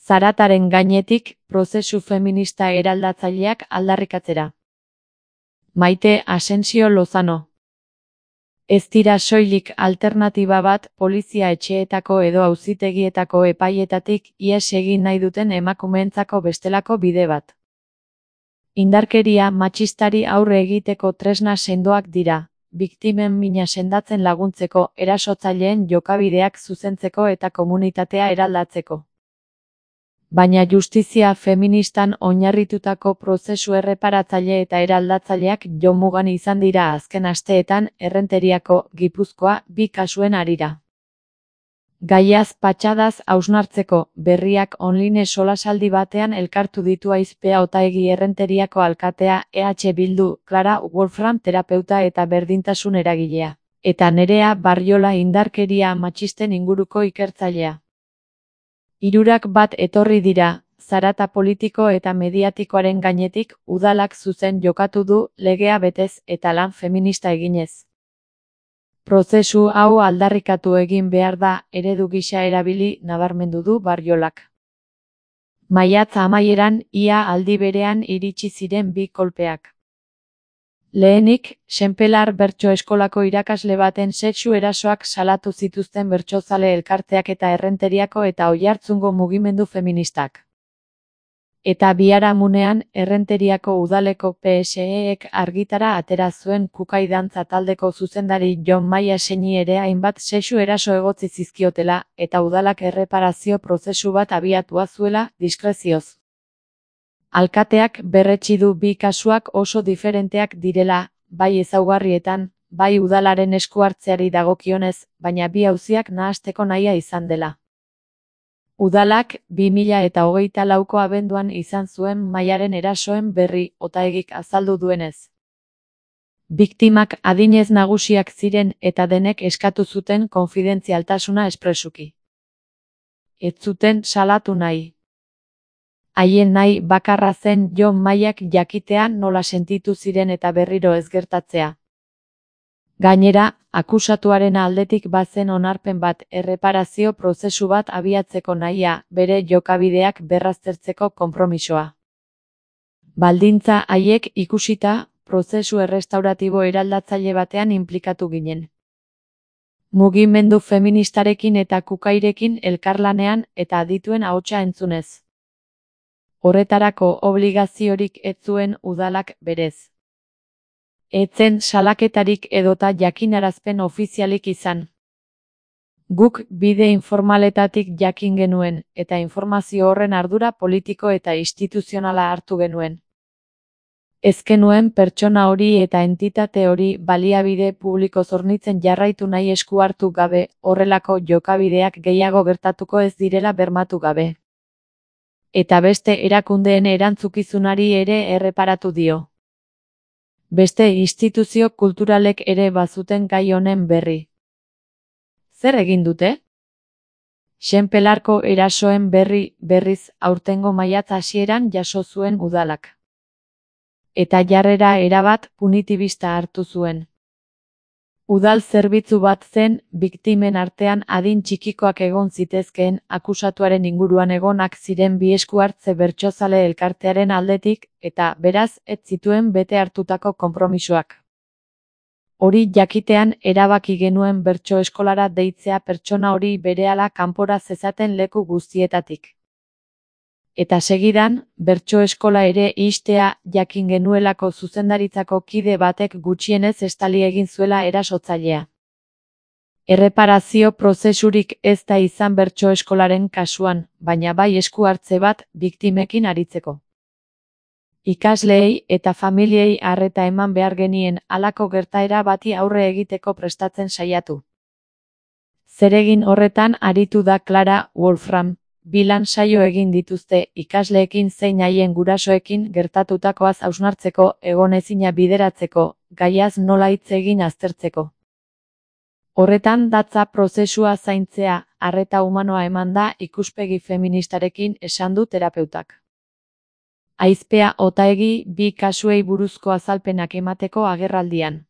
Zarataren gainetik, prozesu feminista eraldatzaileak aldarrikatzera. Maite Asensio Lozano. Ez dira soilik alternatiba bat polizia etxeetako edo auzitegietako epaietatik ihes egin nahi duten emakumeentzako bestelako bide bat. Indarkeria matxistari aurre egiteko tresna sendoak dira, biktimen mina sendatzen laguntzeko, erasotzaileen jokabideak zuzentzeko eta komunitatea eraldatzeko. Baina justizia feministan oinarritutako prozesu erreparatzaile eta eraldatzaileak jomugan izan dira azken asteetan Errenteriako, Gipuzkoa, 2 kasuen harira. Gaiaz patxadaz hausnartzeko, Berriak online solasaldi batean elkartu ditu Aizpea Otaegi Errenteriako alkatea, EH Bildu, Clara Wolfram terapeuta eta berdintasun eragilea, eta Nerea Barriola indarkeria matxisten inguruko ikertzailea. Hirurak bat etorri dira, zarata politiko eta mediatikoaren gainetik udalak zuzen jokatu du legea betez eta lan feminista eginez. Prozesu hau aldarrikatu egin behar da, eredu gisa erabili nabarmendu du Barriolak. Maiatza amaieran ia aldi berean iritsi ziren 2 kolpeak. Lehenik, Senpelar bertso eskolako irakasle baten sexu erasoak salatu zituzten bertsozale elkarteak eta Errenteriako eta Oiartzungo mugimendu feministak. Eta biharamunean, Errenteriako udaleko PSE-ek argitara atera zuen Kukai dantza taldeko zuzendari Jon Maia Seni ere hainbat sexu eraso egotzi zizkiotela, eta udalak erreparazio prozesu bat abiatua zuela, diskrezioz. Alkateak berretsi du 2 kasuak oso diferenteak direla, bai ezaugarrietan, bai udalaren esku hartzeari dagokionez, baina 2 auziak nahasteko nahia izan dela. Udalak 2024ko abenduan izan zuen Maiaren erasoen berri, Otaegik azaldu duenez. Biktimak adinez nagusiak ziren eta denek eskatu zuten konfidentzialtasuna espresuki. Ez zuten salatu nahi. Haien nahi bakarra zen Jon Maiak jakitea nola sentitu ziren eta berriro ez gertatzea. Gainera, akusatuaren aldetik bazen onarpen bat, erreparazio prozesu bat abiatzeko nahia, bere jokabideak berraztertzeko konpromisoa. Baldintza haiek ikusita, prozesu errestauratibo eraldatzaile batean inplikatu ginen. Mugimendu feministarekin eta Kukairekin elkarlanean eta adituen ahotsa entzunez. Horretarako obligaziorik ez zuen udalak berez. Etzen salaketarik edota jakinarazpen ofizialik izan. Guk bide informaletatik jakin genuen, eta informazio horren ardura politiko eta instituzionala hartu genuen. Ez genuen pertsona hori eta entitate hori baliabide publiko zornitzen jarraitu nahi esku hartu gabe, horrelako jokabideak gehiago gertatuko ez direla bermatu gabe. Eta beste erakundeen erantzukizunari ere erreparatu dio. Beste instituzio kulturalek ere bazuten gai honen berri. Zer egin dute? Senpelarko erasoen berriz aurtengo maiatza hasieran jaso zuen udalak. Eta jarrera erabat punitibista hartu zuen. Udal zerbitzu bat zen, biktimen artean adin txikikoak egon zitezkeen, akusatuaren inguruan egonak ziren 2 esku hartze bertsozale elkartearen aldetik, eta, beraz, ez zituen bete hartutako konpromisoak. Hori jakitean erabaki genuen bertso eskolara deitzea pertsona hori berehala kanpora zezaten leku guztietatik. Eta segidan, bertso eskola ere ixtea jakin genuelako zuzendaritzako kide batek gutxienez estali egin zuela erasotzailea. Erreparazio prozesurik ez da izan bertso eskolaren kasuan, baina bai esku hartze bat biktimekin aritzeko. Ikasleei eta familiei arreta eman behar genien halako gertaera bati aurre egiteko prestatzen saiatu. Zeregin horretan aritu da Clara Wolfram. 2 lan saio egin dituzte ikasleekin zein haien gurasoekin gertatutakoaz hausnartzeko, egonezina bideratzeko, gaiaz nola hitz egin aztertzeko. Horretan datza prozesua zaintzea, arreta humanoa eman da ikuspegi feministarekin esan du terapeutak. Aizpea Otaegi 2 kasuei buruzko azalpenak emateko agerraldian.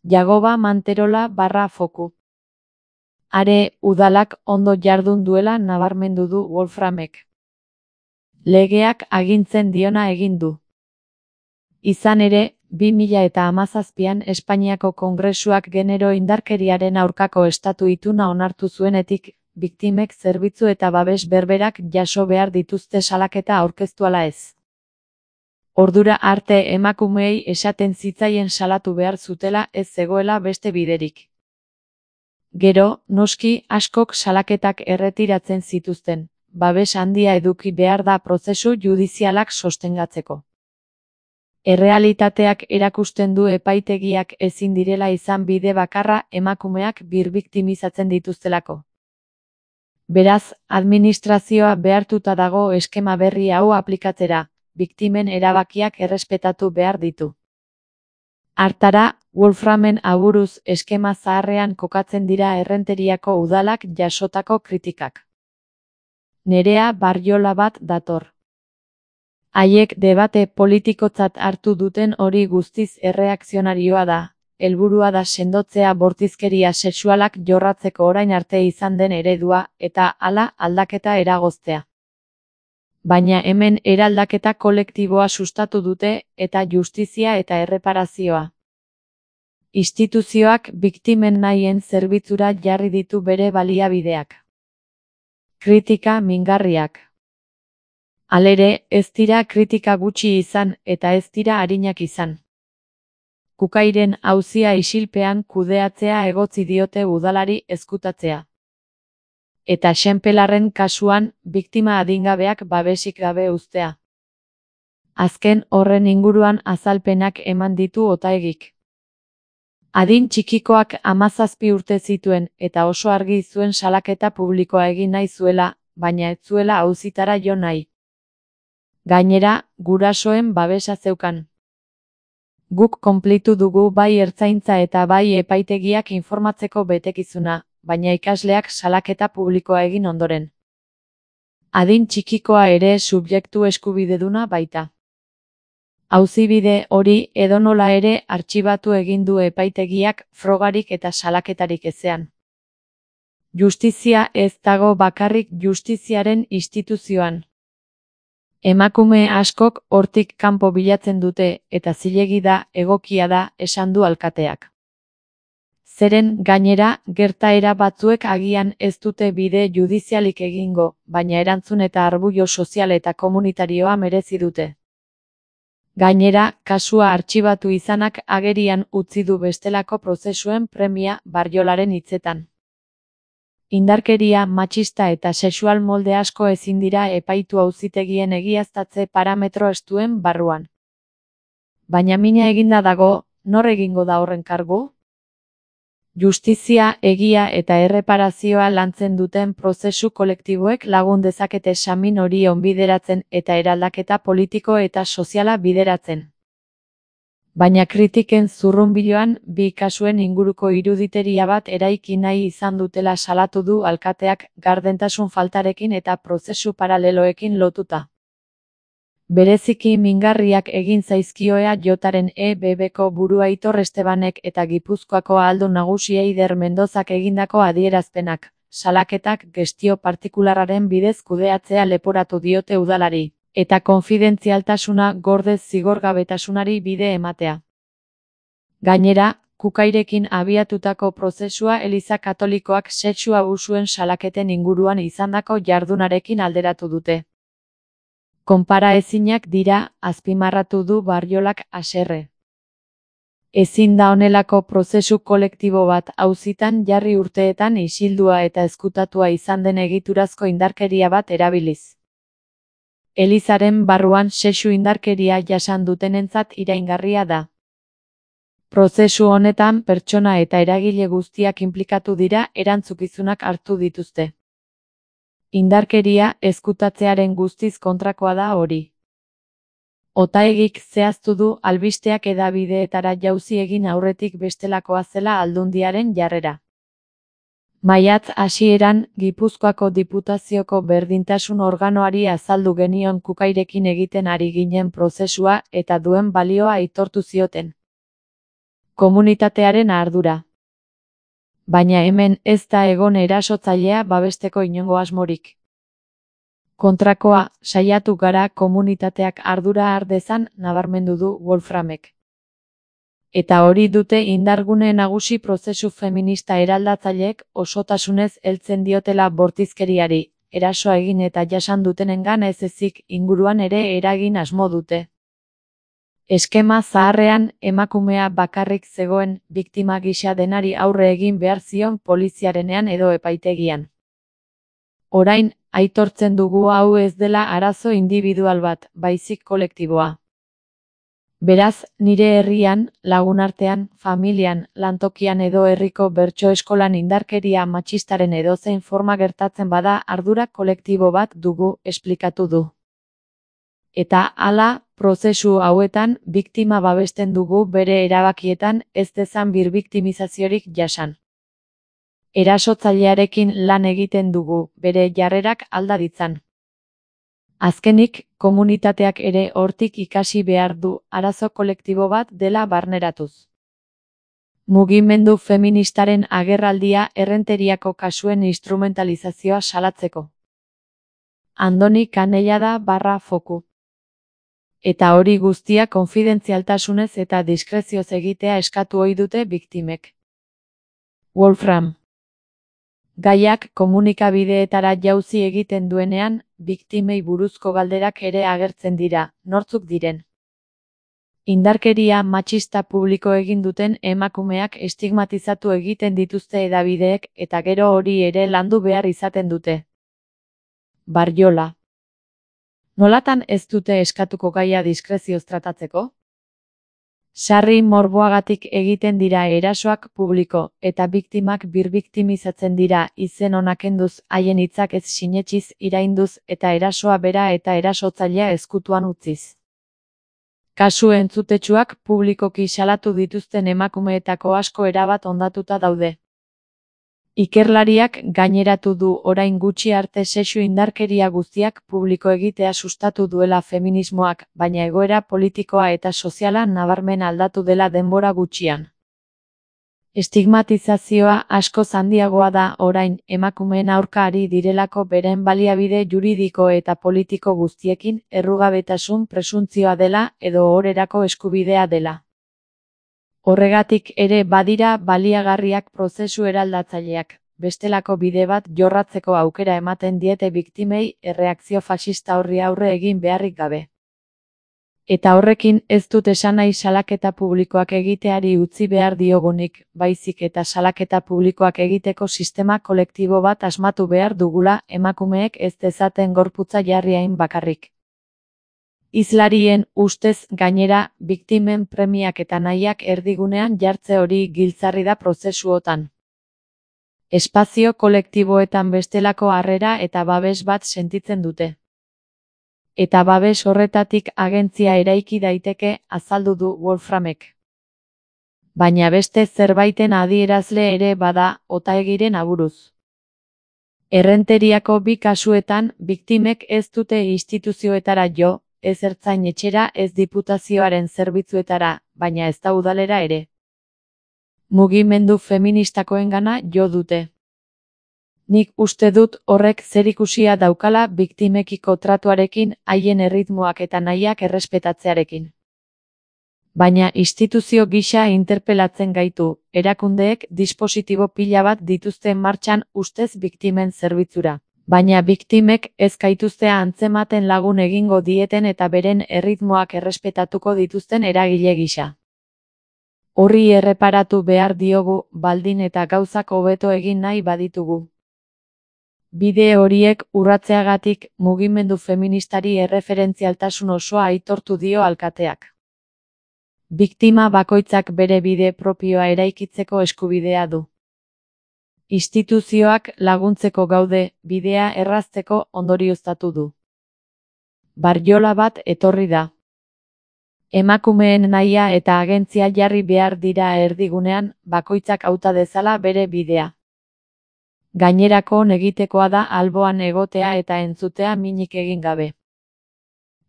Jagoba Manterola /Foku. Are, udalak ondo jardun duela nabarmendu du Wolframek. Legeak agintzen diona egin du. Izan ere, 2017an Espainiako Kongresuak genero indarkeriaren aurkako estatu ituna onartu zuenetik, biktimek zerbitzu eta babes berberak jaso behar dituzte salaketa aurkeztu ala ez. Ordura arte emakumeei esaten zitzaien salatu behar zutela ez zegoela beste biderik. Gero, noski askok salaketak erretiratzen zituzten, babes handia eduki behar da prozesu judizialak sostengatzeko. Errealitateak erakusten du epaitegiak ezin direla izan bide bakarra emakumeak birbiktimizatzen dituztelako. Beraz, administrazioa behartuta dago eskema berri hau aplikatzera, biktimen erabakiak errespetatu behar ditu. Hartara, Wolframen aburuz eskema zaharrean kokatzen dira Errenteriako udalak jasotako kritikak. Nerea Barriola bat dator. Haiek debate politikotzat hartu duten hori guztiz erreakzionarioa da, helburua da sendotzea bortizkeria sexualak jorratzeko orain arte izan den eredua, eta hala aldaketa eragoztea. Baina hemen eraldaketa kolektiboa sustatu dute, eta justizia eta erreparazioa. Instituzioak biktimen nahien zerbitzura jarri ditu bere baliabideak. Kritika mingarriak. Halere, ez dira kritika gutxi izan, eta ez dira arinak izan. Kukairen auzia isilpean kudeatzea egotzi diote udalari ezkutatzea. Eta Xenpelarren kasuan, biktima adingabeak babesik gabe uztea. Azken horren inguruan azalpenak eman ditu Otaegik. Adin txikikoak 17 urte zituen eta oso argi zuen salaketa publikoa egin nahi zuela, baina ez zuela auzitara jo nahi. Gainera, gurasoen babesa zeukan. Guk konplitu dugu bai ertzaintza eta bai epaitegiak informatzeko betekizuna, baina ikasleak salaketa publikoa egin ondoren. Adin txikikoa ere subjektu eskubideduna baita. Auzibide hori edonola ere artxibatu egin du epaitegiak frogarik eta salaketarik ezean. Justizia ez dago bakarrik justiziaren instituzioan. Emakume askok hortik kanpo bilatzen dute eta zilegi da, egokia da, esan du alkateak. Zeren gainera, gertaera batzuek agian ez dute bide judizialik egingo, baina erantzun eta arbuio sozial eta komunitarioa merezi dute. Gainera, kasua artxibatu izanak agerian utzi du bestelako prozesuen premia Barriolaren hitzetan. Indarkeria matxista eta sexual molde asko ezin dira epaitu auzitegien egiaztatze parametro estuen barruan. Baina mina eginda dago, nor egingo da horren kargu? Justizia, egia eta erreparazioa lantzen duten prozesu kolektiboek lagun dezakete samin hori onbideratzen eta eraldaketa politiko eta soziala bideratzen. Baina kritiken zurrunbiloan, bi kasuen inguruko iruditeria bat eraiki nahi izan dutela salatu du alkateak gardentasun faltarekin eta prozesu paraleloekin lotuta. Bereziki mingarriak egin zaizkioa jotaren EBBko burua Aitor Estebanek eta Gipuzkoako ahaldun nagusia Eider Mendozak egindako adierazpenak, salaketak gestio partikularraren bidez kudeatzea leporatu diote udalari, eta konfidentzialtasuna gordez zigorgabetasunari bide ematea. Gainera, Kukairekin abiatutako prozesua Eliza Katolikoak sexu abusuen salaketen inguruan izandako jardunarekin alderatu dute. Konparaezinak dira, azpimarratu du Barriolak haserre. Ezin da honelako prozesu kolektibo bat auzitan jarri urteetan isildua eta ezkutatua izan den egiturazko indarkeria bat erabiliz. Elizaren barruan sexu indarkeria jasan dutenentzat iraingarria da. Prozesu honetan pertsona eta eragile guztiak inplikatu dira erantzukizunak hartu dituzte. Indarkeria ezkutatzearen guztiz kontrakoa da hori. Otaegik zehaztu du albisteak hedabideetara jauzi egin aurretik bestelakoa zela Aldundiaren jarrera. Maiatz hasieran, Gipuzkoako Diputazioko berdintasun organoari azaldu genion Kukairekin egiten ari ginen prozesua eta duen balioa aitortu zioten. Komunitatearen ardura. Baina hemen ez da egon erasotzailea babesteko inongo asmorik. Kontrakoa, saiatu gara komunitateak ardura har dezan nabarmendu du Wolframek. Eta hori dute indargune nagusi prozesu feminista eraldatzaileek osotasunez heltzen diotela bortizkeriari, eraso egin eta jasan dutenengan ez ezik inguruan ere eragin asmo dute. Eskema zaharrean emakumea bakarrik zegoen biktima gisa denari aurre egin behar zion poliziarenean edo epaitegian. Orain, aitortzen dugu hau ez dela arazo individual bat, baizik kolektiboa. Beraz, nire herrian, lagunartean, familian, lantokian edo herriko bertso eskolan indarkeria matxistaren edozein forma gertatzen bada ardura kolektibo bat dugu, esplikatu du. Eta hala, prozesu hauetan, biktima babesten dugu bere erabakietan ez dezan birbiktimizaziorik jasan. Erasotzailearekin lan egiten dugu, bere jarrerak alda ditzan. Azkenik, komunitateak ere hortik ikasi behar du arazo kolektibo bat dela barneratuz. Mugimendu feministaren agerraldia Errenteriako kasuen instrumentalizazioa salatzeko. Andoni Canellada /foku. Eta hori guztia konfidentzialtasunez eta diskrezioz egitea eskatu ohi dute biktimek. Wolfram. Gaiak komunikabideetara jauzi egiten duenean, biktimei buruzko galderak ere agertzen dira, nortzuk diren. Indarkeria matxista publiko egin duten emakumeak estigmatizatu egiten dituzte hedabideek eta gero hori ere landu behar izaten dute. Barjola. Nolatan ez dute eskatuko gaia diskrezioz tratatzeko? Sarri morboagatik egiten dira erasoak publiko, eta biktimak birbiktimizatzen dira izen onak kenduz haien hitzak ez sinetsiz irainduz eta erasoa bera eta erasotzailea ezkutuan utziz. Kasu entzutetsuak publikoki salatu dituzten emakumeetako asko erabat hondatuta daude. Ikerlariak gaineratu du orain gutxi arte sexu indarkeria guztiak publiko egitea sustatu duela feminismoak, baina egoera politikoa eta soziala nabarmen aldatu dela denbora gutxian. Estigmatizazioa askoz handiagoa da orain emakumeen aurka ari direlako beren baliabide juridiko eta politiko guztiekin errugabetasun presuntzioa dela edo ohorerako eskubidea dela. Horregatik ere badira baliagarriak prozesu eraldatzaileak, bestelako bide bat jorratzeko aukera ematen diete biktimei erreakzio faxista horri aurre egin beharrik gabe. Eta horrekin ez dut esan nahi salaketa publikoak egiteari utzi behar diogunik, baizik eta salaketa publikoak egiteko sistema kolektibo bat asmatu behar dugula emakumeek ez dezaten gorputza jarri hain bakarrik. Hizlarien ustez gainera, biktimen premiak eta nahiak erdigunean jartze hori giltzarri da prozesuotan. Espazio kolektiboetan bestelako harrera eta babes bat sentitzen dute. Eta babes horretatik agentzia eraiki daiteke, azaldu du Wolframek. Baina beste zerbaiten adierazle ere bada, Otaegiren aburuz. Errenteriako bi kasuetan, biktimek ez dute instituzioetara jo, ez ertzain etxera ez diputazioaren zerbitzuetara, baina ez da udalera ere. Mugimendu feministakoengana jo dute. Nik uste dut horrek zerikusia daukala biktimekiko tratuarekin haien erritmoak eta nahiak errespetatzearekin. Baina instituzio gisa interpelatzen gaitu, erakundeek dispositibo pila bat dituzte martxan ustez biktimen zerbitzura. Baina biktimek ez gaituztea antzematen lagun egingo dieten eta beren erritmoak errespetatuko dituzten eragile gisa. Horri erreparatu behar diogu, baldin eta gauzak hobeto egin nahi baditugu. Bide horiek urratzeagatik mugimendu feministari erreferentzialtasun osoa aitortu dio alkateak. Biktima bakoitzak bere bide propioa eraikitzeko eskubidea du. Instituzioak laguntzeko gaude, bidea errazteko ondorioztatu du. Barjola bat etorri da. Emakumeen nahia eta agentzia jarri behar dira erdigunean, bakoitzak hauta dezala bere bidea. Gainerako egitekoa da alboan egotea eta entzutea minik egin gabe.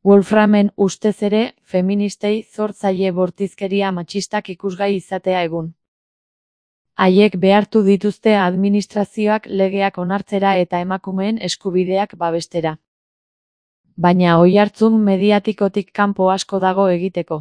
Wolframen ustez ere, feministei zor zaie bortizkeria matxistak ikusgai izatea egun. Haiek behartu dituzte administrazioak legeak onartzera eta emakumeen eskubideak babestera. Baina oihartzun mediatikotik kanpo asko dago egiteko.